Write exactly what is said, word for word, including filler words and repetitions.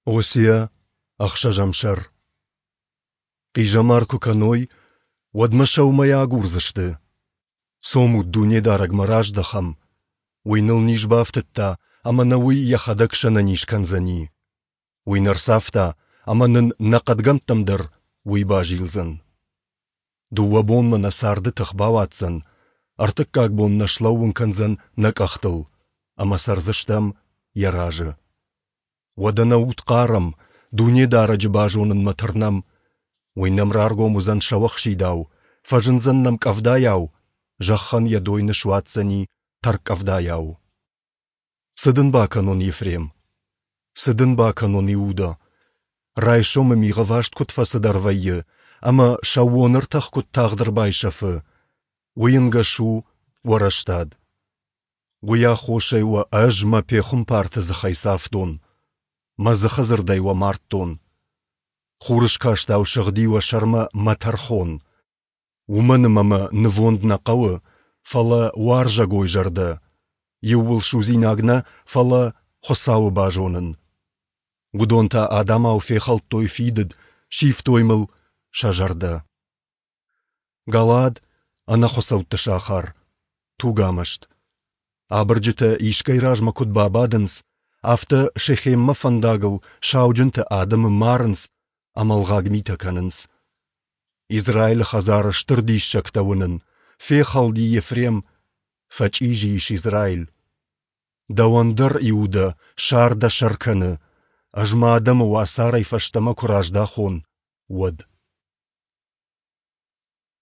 Осиа, ӕхсӕзӕм сӕр. Хъизӕмар куы кӕной, уӕд мӕ сӕумӕйӕ агурдзысты. Цомут, Дунедарӕгмӕ раздӕхӕм. Уый ныл низ бафтыдта, ӕмӕ нӕ Уый Йӕхӕдӕг сӕнӕниз кӕндзӕни. Уый нӕ рцавта, ӕмӕ нын нӕ хъӕдгӕмттӕм дӕр Уый базилдзӕн. Дыууӕ бонмӕ нӕ царды тых бауадздзӕн, ӕртыккаг бон нӕ слӕууын кӕндзӕн нӕ къӕхтыл, ӕмӕ цӕрдзыстӕм Йӕ разы. Уӕдӕ нӕ уд хъарӕм, Дунедарӕджы базонынмӕ тырнӕм. Уый нӕм раргом уыдзӕн сӕуӕхсидау, фӕзындзӕн нӕм къӕвдайау, зӕххӕн йӕ дойны суадздзӕни тӕрккъӕвдайау. Цы дын бакӕнон, Ефрем? Цы дын бакӕнон, Иуда? Райсомы мигъ ӕваст куыд фӕцыдӕр вӕййы ӕмӕ сӕууон ӕртӕх куыд тагъд ӕрбайсӕфы, уый ӕнгӕс у уӕ рӕстад. Уый аххосӕй уӕ Ӕз мӕ пехуымпарты дзыхӕй цавтон, мӕ дзыхы дзырдӕй уӕ мардтон. Хурыскастау сыгъди уӕ сӕрмӕ мӕ тӕрхон. Уымӕн ӕмӕ мӕ нывонд нӕ хъӕуы, фӕлӕ уарзӕгой зӕрдӕ, иууылсудзинаг нӕ, фӕлӕ Хуыцауы базонын. Уыдон та адӕмау фехӕлдтой фидыд, сивтой мыл сӕ зӕрдӕ. Галаад — ӕнӕхуыцӕутты сахар, тугамӕст. Абырджытӕ искӕй размӕ куыд бабадынц, афтӕ Шехеммӕ фӕндагыл сауджынтӕ адӕмы марынц ӕмӕ ӕлгъаг митӕ кӕнынц. Израилы хӕдзары стыр диссӕгтӕ уынын, фехӕлди Ефрем, фӕчъизи ис Израиль. Дӕуӕн дӕр, Иудӕ, сар дӕ сӕр кӕны, Ӕз мӕ адӕмы уацарӕй фӕстӕмӕ куы раздахон, уӕд.